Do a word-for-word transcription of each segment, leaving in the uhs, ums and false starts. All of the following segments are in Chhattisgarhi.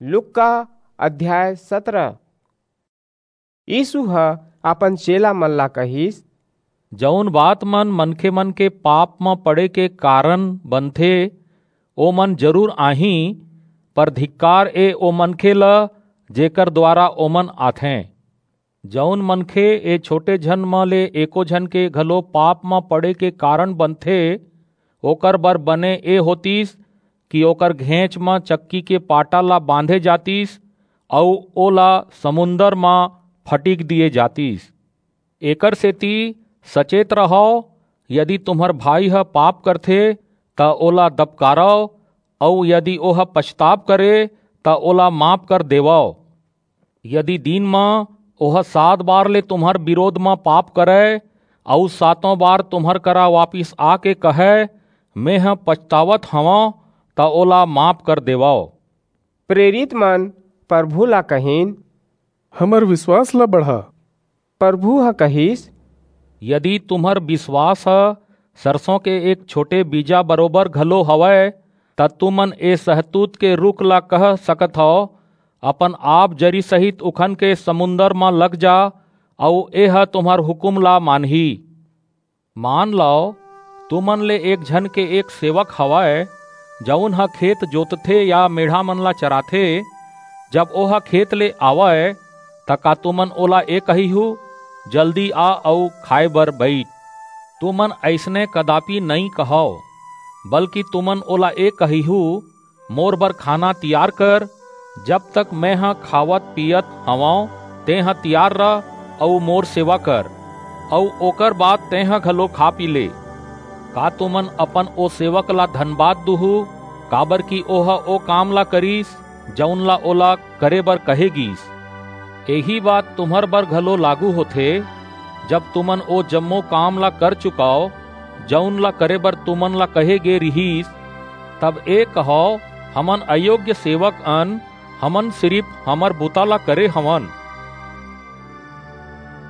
लूका अध्याय सतरा। यीसू ह अपन चेला मन ला कहिस, जऊन बात मन मनखे मन के पाप म पड़े के कारन बनथे, ओमन जरूर आहीं, पर धिक्कार ए ओ मनखे ल, जेकर दुवारा ओमन आथें। जऊन मनखे ए छोटे झन म ले एको झन के घलो पाप म पड़े के कारन बनथे, ओकर बर बने ए होतिस कि ओकर घेंच म चक्की के पाटा ला बांधे जातिस अऊ ओला समुंदर म फटिक दिये जातिस। एकरसेति सचेत रहव, यदि तुम्हर भाई ह पाप करथे, त ओला दबकारव, अऊ यदि ओह पछताप करे, त ओला माफ कर देवव। यदि दिन म ओह सात बार ले तुम्हर बिरोध म पाप करय, अऊ सातों बार तुम्हर करा वापिस आके कहय, "मेंह पछतावत हवंव," त ओला माफ कर देवव। प्रेरित मन परभू ला कहिन, "हमर बिसवास ला बढ़ा।" परभू ह कहिस, यदि तुम्हर बिसवास ह सरसों के एक छोटे बीजा बरोबर घलो हवय, त तुमन ए सहतूत के रूख ला कह सकत हव, "अपन आप जरी सहित उखन के समुंदर म लग जा," अऊ एह तुम्हर हुकूम ला मानही। मान लव, तुमन ले एक झन के एक सेवक हवय, जऊन ह खेत जोतथे या मेढ़ा मन ला चराथे। जब ओह खेत ले आवय, त का तुमन ओला ए कहिहू, "जल्दी आ अऊ खाय बर बईठ"? तुमन अइसने कदापि नइं कहव, बल्कि तुमन ओला ए कहिहू, "मोर बर खाना तियार कर, जब तक मेंह खावत पीयत हवंव, तेंह तियार रह अऊ मोर सेवा कर, अऊ ओकर बाद तेंह घलो खा पी ले।" का तुमन अपन ओ सेवक ला धनबाद दूहू, काबरकि ओह ओ काम ला करिस, जऊन ला ओला करे बर कहे गीस? एही बात तुम्हर बर घलो लागू होथे, जब तुमन ओ जम्मो काम ला कर चुकव, जऊन ला करे बर तुमन ला कहे गे रिहिस, तब ए कहव, "हमन अयोग्य सेवक अन, हमन सिरिप हमर बुता ला करे हवन।"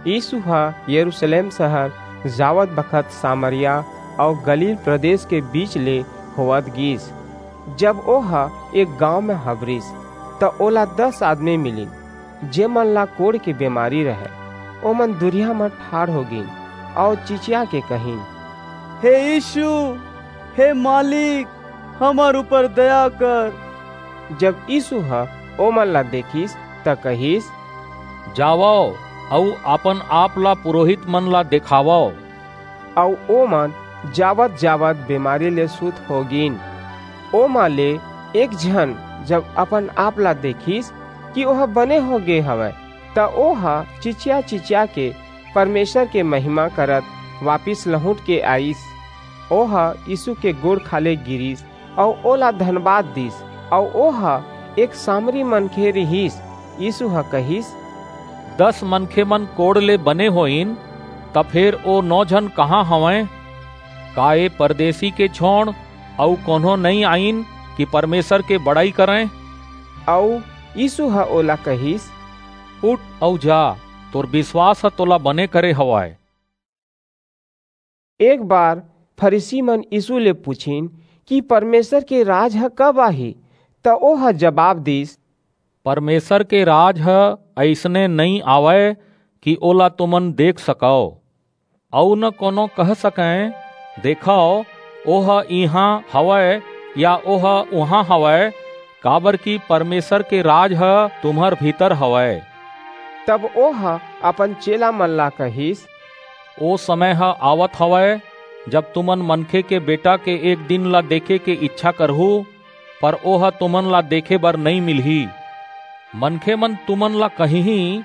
यीसू ह यरूसलेम सहर जावत बखत सामरिया अऊ गलील प्रदेस के बीच ले होवत गीस। जब ओह एक गांव म हबरिस, त ओला दस आदमी मिलिन, जेमन ला कोढ़ के बेमारी रहय। ओमन दुरिहा म ठाढ़ हो गीन अऊ चिचिया के कहिन, "हे यीसू, हे मालिक, हमर ऊपर दया कर।" जब यीसू ह ओमन ला देखिस, त कहिस, "जावव अऊ अपन आप ला पुरोहित मन ला देखावव।" अऊ ओमन जावत-जावत बेमारी ले सुध हो गीन। ओमा ले एक झन जब अपन आप ला देखिस कि ओह बने हो गे हवय, त ओह चिचिया-चिचिया के परमेसर के महिमा करत वापिस लहुट के आईस। ओह यीसू के गोड़ खाले गिरिस अऊ ओला धनबाद दीस। अऊ ओह एक सामरी मनखे रिहिस। यीसू ह कहिस, "दस मनखे मन कोढ़ ले बने होइन, त फेर ओ नौ झन कहां हवंय? का ए परदेसी के छोंड़ अऊ कोनो नइं आईन कि परमेसर के बड़ई करंय?" अऊ यीसू ह ओला कहिस, "उठ अऊ जा, तोर बिसवास ह तोला बने करे हवय।" एक बार फरीसी मन यीसू ले पुछिन कि परमेसर के राज ह कब आही, त ओह जबाब दीस, "परमेसर के राज ह अइसने नइं आवय कि ओला तुमन देख सकव, अऊ न कोनो कह सकंय, 'देखव, ओह इहां हवय या ओह उहां हवय,' काबरकि परमेसर के राज ह तुम्हर भीतर हवय।" तब ओह अपन चेला मन ला कहिस, "ओ समय ह आवत हवय, जब तुमन मनखे के बेटा के एक दिन ला देखे के इच्छा करहू, पर ओह तुमन ला देखे बर नइं मिलही। मनखे मन तुमन ला कहिहीं,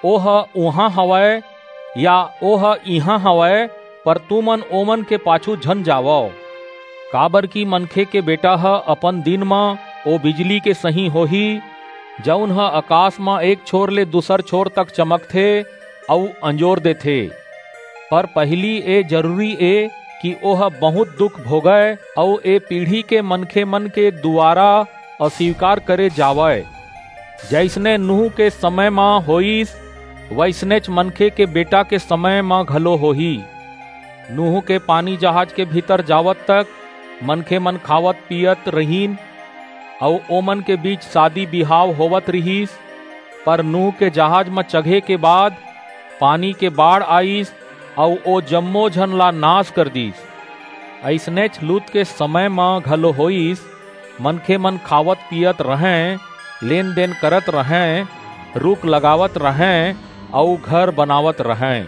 'ओह उहां हवय या ओह इहां हवय,' पर तुमन ओमन के पाछू झन जावव। काबरकि मनखे के बेटा ह अपन दिन म ओ बिजली के सहीं होही, जऊन ह अकास म एक छोर ले दूसर छोर तक चमकथे अऊ अंजोर देथे। पर पहिली ए जरूरी ए कि ओह बहुंत दुख भोगय अऊ ए पीढ़ी के मनखे मन के दुवारा अस्वीकार करे जावय। जइसने नूह के समय म होईस, वइसनेच मनखे के बेटा के समय म घलो होही। नूह के पानी जहाज के भीतर जावत तक मनखे मन खावत पीयत रहिन, अऊ ओमन के बीच शादी बिहाव होवत रिहिस। पर नूह के जहाज म चघे के बाद पानी के बाढ़ आईस, अऊ ओ जम्मो झन ला नाश कर दीस। अइसनेच लूत के समय म घलो होईस। मनखे मन खावत पीयत रहंय, लेन देन करत रहंय, रूख लगावत रहंय, अऊ घर बनावत रहंय।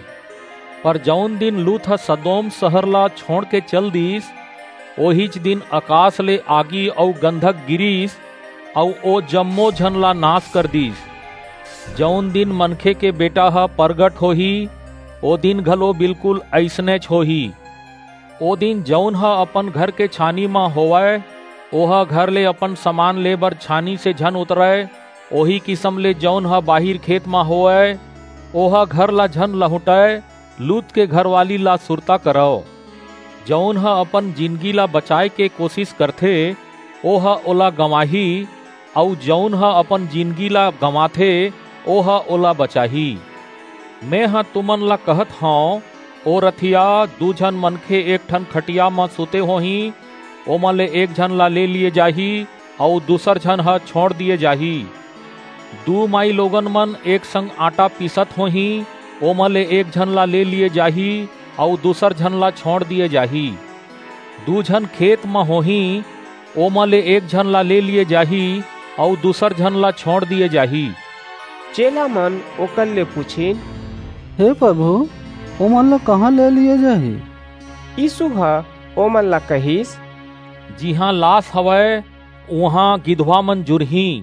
पर जऊन दिन लूत ह सदोम सहर ला छोंड़ के चल दीस, ओहीच दिन अकास ले आगी अऊ गंधक गिरीस, अऊ ओ जम्मो झन ला नाश कर दीस। जऊन दिन मनखे के बेटा ह परगट होही, ओ दिन घलो बिल्कुल अइसनेच होही। ओ दिन जऊन ह अपन घर के छानी म होवय, ओह घर ले अपन समान ले बर छानी से झन उतरय। ओही किसम ले जऊन ह बाहिर खेत म होवय, ओह घर ला झन लहुंटय। लूत के घरवाली ला सुरता करव। जऊन ह अपन जिनगी ला बचाय के कोसिस करथे, ओह ओला गंवाही, अऊ जऊन ह अपन जिनगी ला गंवाथे, ओह ओला बचाही। मेंह तुमन ला कहत हंव, ओ रथिया, दू झन मनखे एक ठन खटिया म सुते होहीं, ओमा ले एक झन ला ले लिये जाही, अऊ दूसर झन ह छोंड़ दिये जाही। दू माईलोगन मन एक संग आटा पीसत होहीं, ओमा ले एक झन ला ले लिये जाही, अऊ दूसर झन ला छोंड़ दिये जाही। दू झन खेत म होहीं, ओमा ले एक झन ला ले लिये जाही, अऊ दूसर झन ला छोंड़ दिये जाही। चेला मन ओकर ले पुछिन, हे प्रभु, ओमन ला कहाँ ले लिये जाही? यीसू ह ओमन ला कहिस, जिहां लास हवय, उहां गिधवा मन जुरहीं।